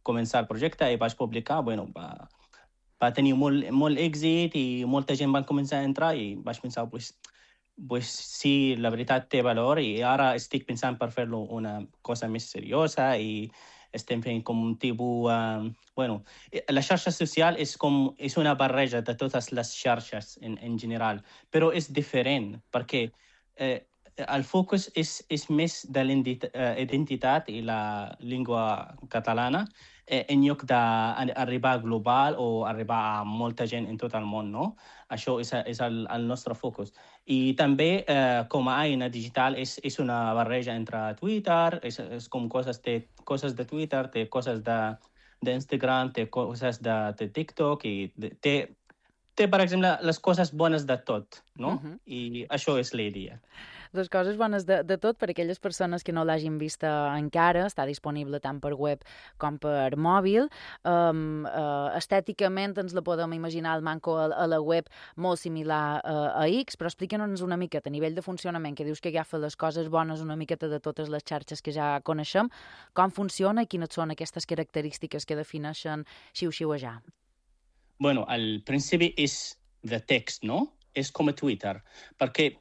començar el projecte i vaig publicar, va tenir molt èxit i molta gent va començar a entrar i vaig pensar, sí, la veritat té valor i ara estic pensant per fer-lo una cosa més seriosa i estem fent com un tipus... la xarxa social és una barreja de totes les xarxes en general, però és diferent perquè el focus és més de l'identitat i la llengua catalana en lloc d'arribar global o arribar a molta gent en tot el món, no? Això és el nostre focus. I també, com a eina digital, és una barreja entre Twitter, és com coses de Twitter, té coses d'Instagram, té coses de TikTok, i té, per exemple, les coses bones de tot, no? I això és la idea. Les coses bones de tot, per aquelles persones que no l'hagin vista encara, està disponible tant per web com per mòbil. Estèticament ens la podem imaginar el manco a la web molt similar a X, però explica'ns una miqueta a nivell de funcionament, que dius que agafa les coses bones una miqueta de totes les xarxes que ja coneixem, com funciona i quines són aquestes característiques que defineixen xiu-xiuejar. Al principi és de text, no? És com a Twitter, perquè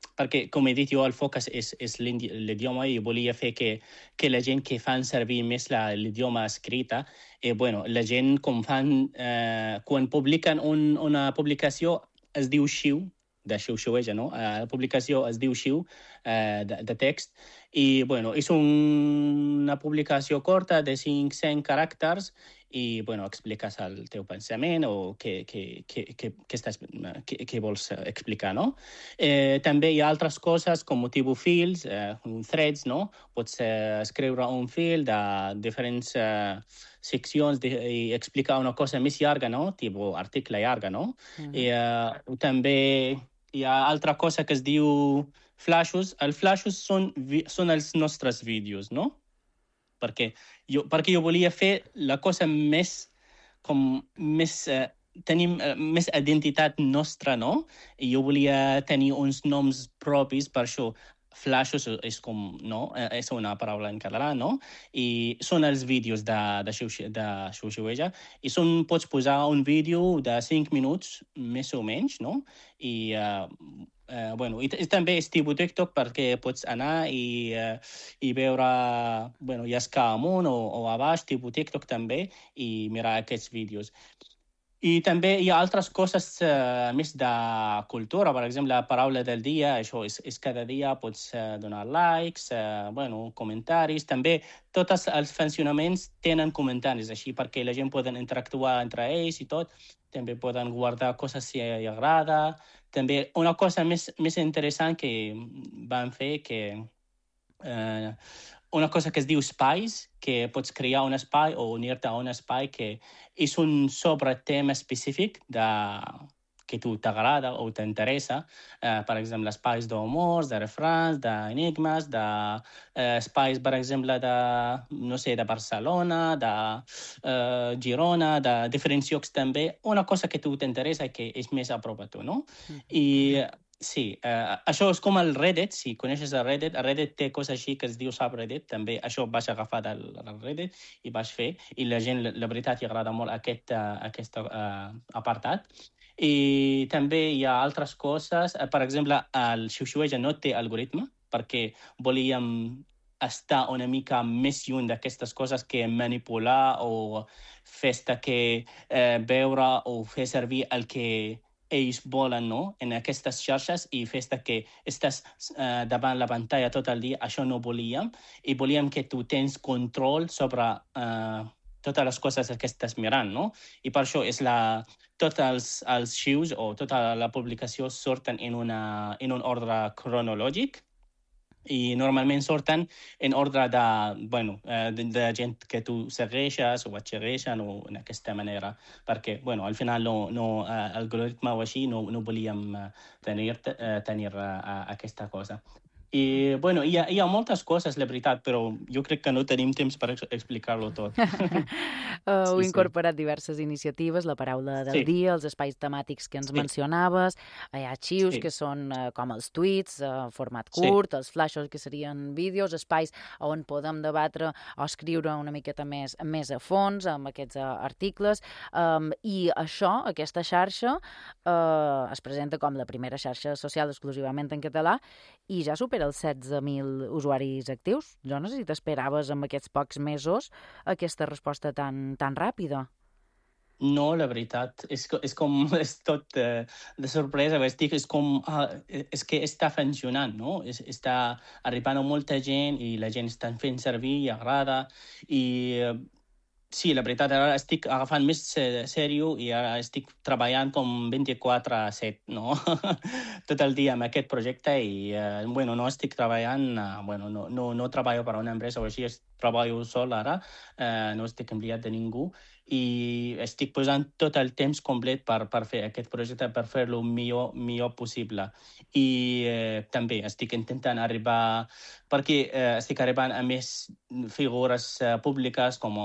com he dit jo, el focus és l'idioma i volia fer que la gent que fan servir més l'idioma escrita, la gent com fan, quan publiquen una publicació es diu xiu, de xiu-xiueja, no? La publicació es diu xiu, de text, i és una publicació corta de 500 caràcters i expliques el teu pensament o què vols explicar, no? També hi ha altres coses com tipus fils, threads, no? Pots escriure un fil de diferents seccions i explicar una cosa més llarga, no? Tipus article llarga, no? I també hi ha altra cosa que es diu flashes. Els flashes són els nostres vídeos, no? Perquè jo volia fer la cosa tenim més identitat nostra, no? I jo volia tenir uns noms propis, per això flashes és com, no? És una paraula en català, no? I són els vídeos de xiu-xiueja i pots posar un vídeo de 5 minuts, més o menys, no? I també és tipus TikTok perquè pots anar i veure, llascar amunt o a baix, tipus TikTok també, i mirar aquests vídeos. I també hi ha altres coses més de cultura, per exemple, la paraula del dia, això és cada dia, pots donar likes, comentaris. També tots els funcionaments tenen comentaris, així perquè la gent poden interactuar entre ells i tot. També poden guardar coses si els agrada. També una cosa més interessant que van fer, una cosa que es diu espais, que pots crear un espai o unir-te a un espai que és un sobretema específic que tu t'agrada o t'interessa. Per exemple, espais d'humors, de refrans, d'enigmes, espais, per exemple, de Barcelona, de Girona, de diferents llocs també. Una cosa que tu t'interessa i que és més a prop a tu, no? I sí, això és com el Reddit, si coneixes el Reddit té coses així que es diu subreddit, també això vaig agafar del Reddit i vaig fer, i la gent, la veritat, li agrada molt aquest apartat. I també hi ha altres coses, per exemple, el xiu-xiueja no té algoritme, perquè volíem estar una mica més lluny d'aquestes coses que manipular o fer-te que veure o fer servir el que ells volen, no? En aquestes xarxes i fer-te que estàs davant la pantalla tot el dia. Això no volíem. I volíem que tu tens control sobre totes les coses que estàs mirant, no? I per això tots els arxius o tota la publicació surten en un ordre cronològic i normalment surten en ordre de gent que tu segueixes o et segueixen o en aquesta manera, perquè al final l'algoritme o així no volíem tenir aquesta cosa. I hi ha moltes coses, la veritat, però jo crec que no tenim temps per explicar-lo tot. Heu incorporat diverses iniciatives, la paraula del dia, els espais temàtics que ens mencionaves, hi ha arxius que són com els tuits, format curt, els flashes que serien vídeos, espais on podem debatre o escriure una miqueta més a fons amb aquests articles, i això, aquesta xarxa, es presenta com la primera xarxa social exclusivament en català i ja supera els 16.000 usuaris actius. Jo no sé si t'esperaves amb aquests pocs mesos aquesta resposta tan ràpida. No, la veritat, és tot de sorpresa, és que està funcionant, no? Està arribant a molta gent i la gent està fent servir i agrada i sí, la veritat, ara estic agafant més sèrio i ara estic treballant com 24/7, no? Tot el dia amb aquest projecte i, no estic treballant, no treballo per a una empresa o així, treballo sol ara, no estic enviat de ningú i estic posant tot el temps complet per fer aquest projecte, per fer-lo millor possible. I també estic intentant arribar, perquè estic arribant a més figures públiques com,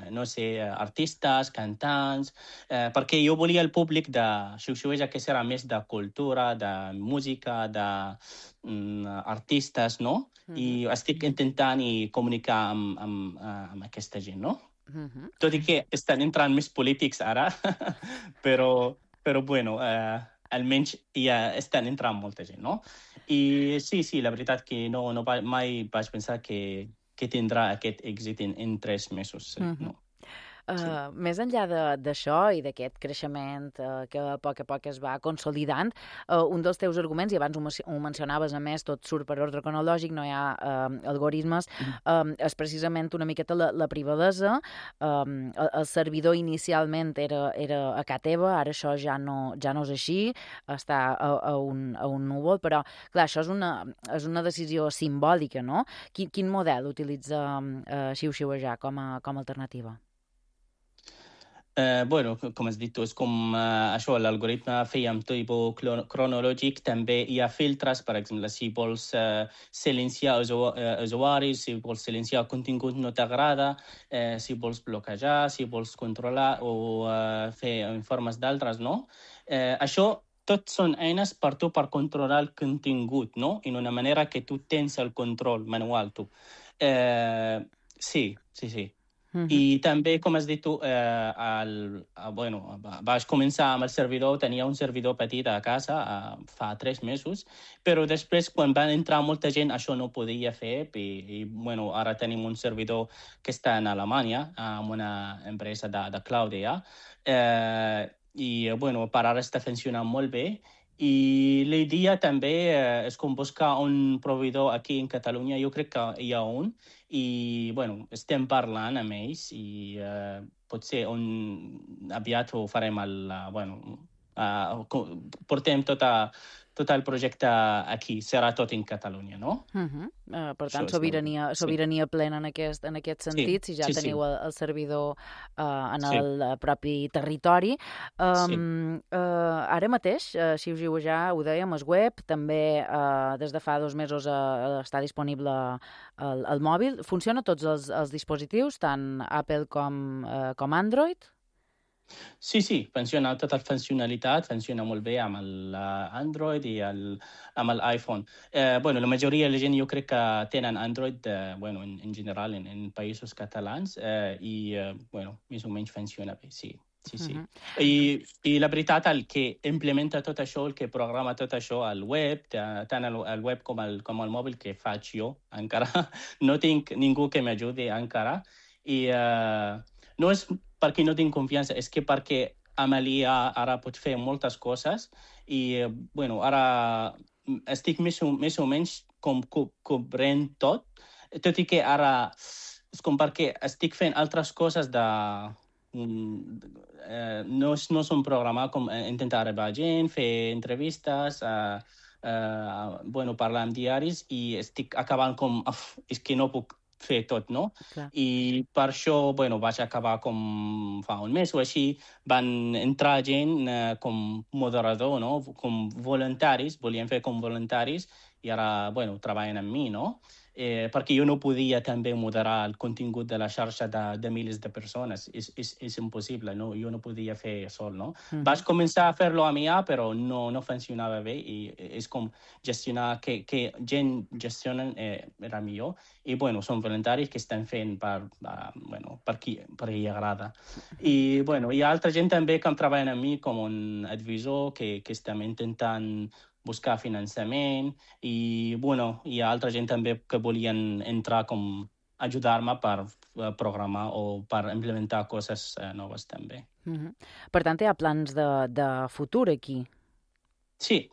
no sé, artistes, cantants, perquè jo volia el públic de Xiuxiueja que serà més de cultura, de música, d'artistes, no? I estic intentant comunicar amb aquesta gent, no? Tot i que estan entrant més polítics ara, però almenys ja estan entrant molta gent, no? I sí, la veritat que mai vaig pensar que tindrà aquest èxit en 3 mesos, no? Més enllà d'això i d'aquest creixement que a poc es va consolidant, un dels teus arguments, i abans ho mencionaves, a més, tot surt per ordre cronològic, no hi ha algoritmes, és precisament una miqueta la privadesa. El servidor inicialment era a casa teva, ara això ja no és així, està a un núvol, però clar, això és una decisió simbòlica, no? Quin model utilitza Xiuxiuejar com a alternativa? Com has dit, és com això, l'algoritme feia amb tipus cronològic, també hi ha filtres, per exemple, si vols silenciar usuaris, si vols silenciar contingut no t'agrada, si vols bloquejar, si vols controlar o fer informes d'altres, no? Això tot són eines per tu per controlar el contingut, no? En una manera que tu tens el control manual, tu. Sí. I també, com has dit tu, vaig començar amb el servidor, tenia un servidor petit a casa fa 3 mesos, però després, quan van entrar molta gent, això no podia fer i ara tenim un servidor que està en Alemanya, amb una empresa de cloud allà, i per ara està funcionant molt bé. I la idea també és com buscar un proveïdor aquí en Catalunya. Jo crec que hi ha un i estem parlant amb ells i potser aviat ho farem portem tot el projecte aquí, serà tot en Catalunya, no? Per tant, sobirania plena en aquest sentit, si ja teniu el servidor en el propi territori. Ara mateix, Xiuxiuejar, ho dèiem, és web, també des de fa 2 mesos està disponible al mòbil. Funciona a tots els dispositius, tant Apple com Android? Sí, funciona tota la funcionalitat, funciona molt bé amb l'Android i amb l'iPhone. La majoria de la gent jo crec que tenen Android, en general, en països catalans, i més o menys funciona bé, sí. Sí. I la veritat, el que implementa tot això, el que programa tot això al web, tant al web com al mòbil, que faig jo encara, no tinc ningú que m'ajudi encara, i no és perquè no tinc confiança, és que perquè amb l'IA ara pot fer moltes coses i, ara estic més o menys com cobrint tot i que ara és com perquè estic fent altres coses no és un programa com intentar arribar a gent, fer entrevistes, parlar amb diaris i estic acabant com, és que no puc fer tot, no? Clar. I per això, vaig acabar com fa un mes o així, van entrar gent com moderador, no? Com voluntaris, volien fer com voluntaris i ara, treballen amb mi, no? Perquè jo no podia també moderar el contingut de la xarxa de milers de persones. És impossible, no? Jo no podia fer sol, no? Vaig començar a fer-lo amb IA, però no funcionava bé i és com gestionar, que gent gestionen era millor. I, són voluntaris que estan fent per qui agrada. I, hi ha altra gent també que treballen amb mi com un advisor que estem intentant buscar finançament i, hi ha altra gent també que volien entrar com ajudar-me per programar o per implementar coses noves també. Per tant, hi ha plans de futur aquí? Sí.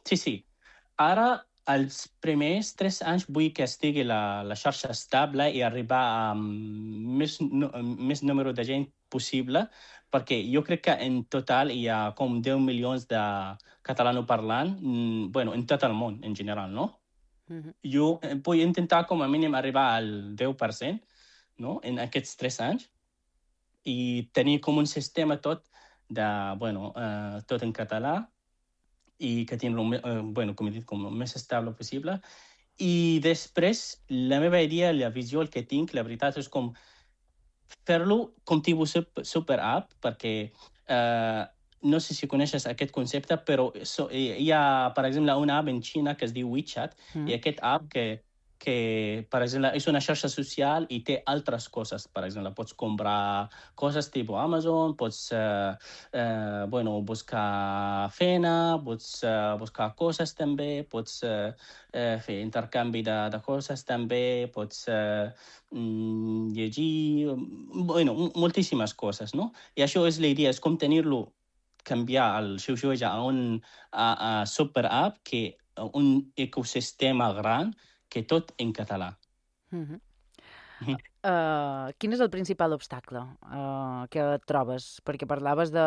Ara, els primers 3 anys vull que estigui la xarxa estable i arribar a més número de gent possible, perquè jo crec que en total hi ha com 10 milions de catalanoparlant, en tot el món, en general, no? Jo vull intentar com a mínim arribar al 10%, no?, en aquests 3 anys, i tenir com un sistema tot en català, i que tingui, com he dit, com el més estable possible. I després, la meva idea, la visió, el que tinc, la veritat, és com fer-lo com tipus super-app, perquè no sé si coneixes aquest concepte, però hi ha, per exemple, una app en Xina que es diu WeChat, i aquest app que, per exemple, és una xarxa social i té altres coses. Per exemple, pots comprar coses tipus Amazon, pots buscar feina, pots buscar coses també, pots fer intercanvi de coses també, pots llegir, moltíssimes coses, no? I això és la idea, és com tenir-lo, canviar el Xiuxiueja a una super-app, que un ecosistema gran, que tot en català. Quin és el principal obstacle que trobes? Perquè parlaves de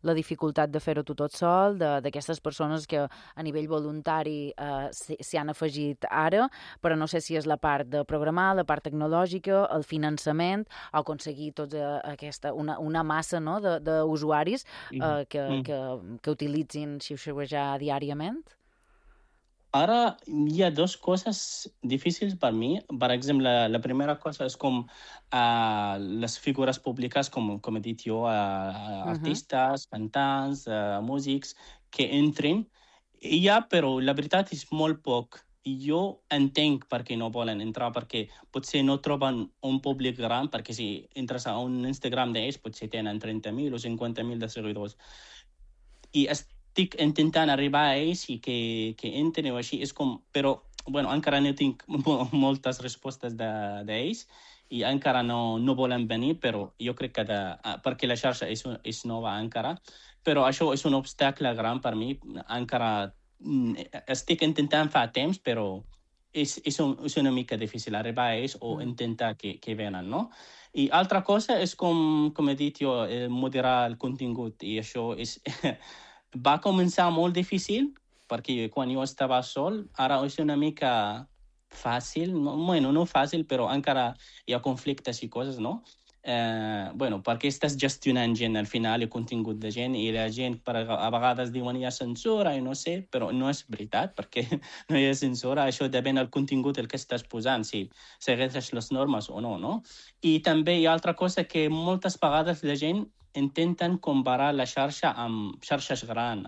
la dificultat de fer-ho tu tot sol, d'aquestes persones que a nivell voluntari s'hi han afegit ara, però no sé si és la part de programar, la part tecnològica, el finançament, o aconseguir una massa, no, d'usuaris que utilitzin Xiuxiuejar diàriament? Ara hi ha 2 coses difícils per mi. Per exemple, la primera cosa és com les figures públiques, com he dit jo, artistes, cantants, músics, que entrin. Però la veritat és molt poc. Jo entenc per què no volen entrar, perquè potser no troben un públic gran, perquè si entres a un Instagram d'ells potser tenen 30.000 o 50.000 de seguidors. I estic intentant arribar a ells i que entren o així. És com, però, encara no tinc moltes respostes d'ells i encara no volen venir, però jo crec que perquè la xarxa és nova encara, però això és un obstacle gran per mi. Encara estic intentant fa temps, però és una mica difícil arribar a ells o intentar que venen, no? I altra cosa és, com he dit jo, moderar el contingut, i això va començar molt difícil, perquè quan jo estava sol, ara és una mica fàcil, no fàcil, però encara hi ha conflictes i coses, no? Perquè estàs gestionant gent al final, el contingut de gent, i la gent a vegades diuen hi ha censura, i no sé, però no és veritat, perquè no hi ha censura. Això depèn del contingut el que estàs posant, si segueixes les normes o no, no? I també hi ha altra cosa, que moltes vegades la gent intenten comparar la xarxa amb xarxes grans,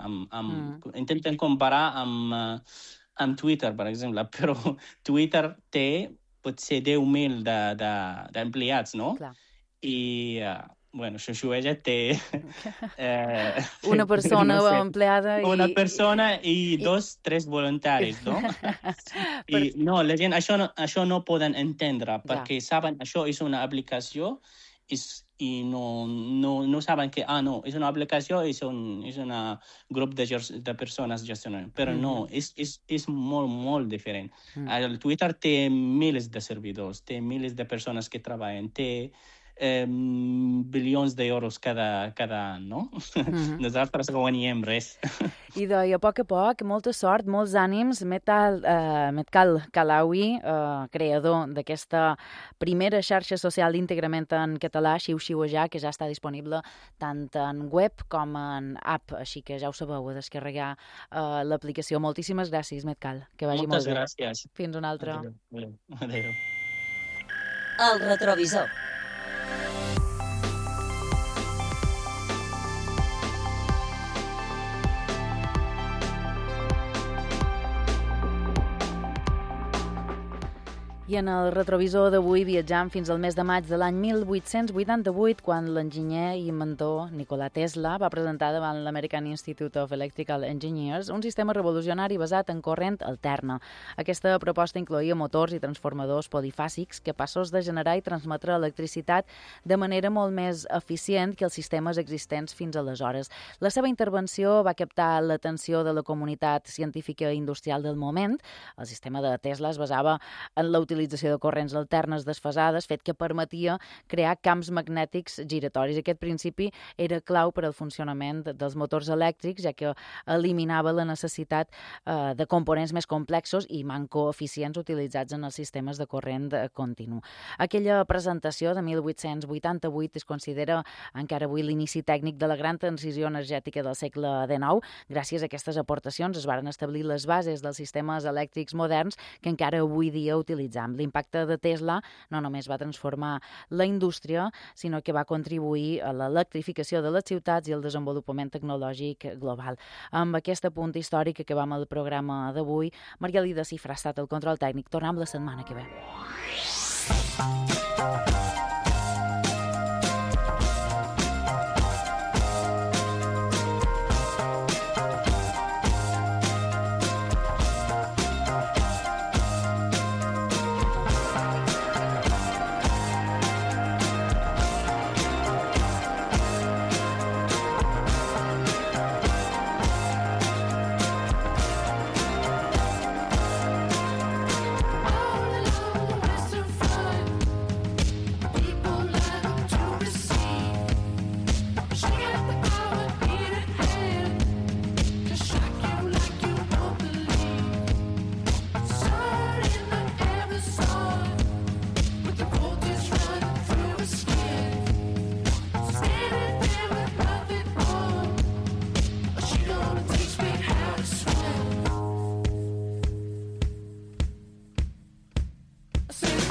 intenten comparar amb Twitter, per exemple, però Twitter té potser 10.000 d'empleats, no? Clar. I, bueno, Xuxuella té... Una persona no sé, empleada i... Una persona i 2-3 voluntaris, no? I no, la gent això no poden entendre, perquè saben això és una aplicació i no saben que, no, és una aplicació, és un grup de persones gestionant. Però no, és molt, molt diferent. El Twitter té milers de servidors, té milers de persones que treballen, té bilions d'euros cada any, no? Nosaltres no guanyem res. I a poc, molta sort, molts ànims. Metkal Kalawi, creador d'aquesta primera xarxa social d'íntegrament en català, Xiu-Xiuejar, que ja està disponible tant en web com en app, així que ja ho sabeu, a descarregar l'aplicació. Moltíssimes gràcies, Metkal, que vagi molt bé. Moltes gràcies. Fins una altra. Adéu. El retrovisor. I en el retrovisor d'avui viatjam fins al mes de maig de l'any 1888, quan l'enginyer i inventor Nikola Tesla va presentar davant l'American Institute of Electrical Engineers un sistema revolucionari basat en corrent alterna. Aquesta proposta incloïa motors i transformadors polifàsics capaços de generar i transmetre electricitat de manera molt més eficient que els sistemes existents fins aleshores. La seva intervenció va captar l'atenció de la comunitat científica i industrial del moment. El sistema de Tesla es basava en la utilització de corrents alternes desfasades, fet que permetia crear camps magnètics giratoris. Aquest principi era clau per al funcionament dels motors elèctrics, ja que eliminava la necessitat de components més complexos i manco eficients utilitzats en els sistemes de corrent continu. Aquella presentació de 1888 es considera encara avui l'inici tècnic de la gran transició energètica del segle XIX. Gràcies a aquestes aportacions es varen establir les bases dels sistemes elèctrics moderns que encara avui dia utilitzam. L'impacte de Tesla no només va transformar la indústria, sinó que va contribuir a l'electrificació de les ciutats i al desenvolupament tecnològic global. Amb aquest apunt històric acabam el programa d'avui. Margalida Cifra ha estat el control tècnic. Tornem la setmana que ve. Say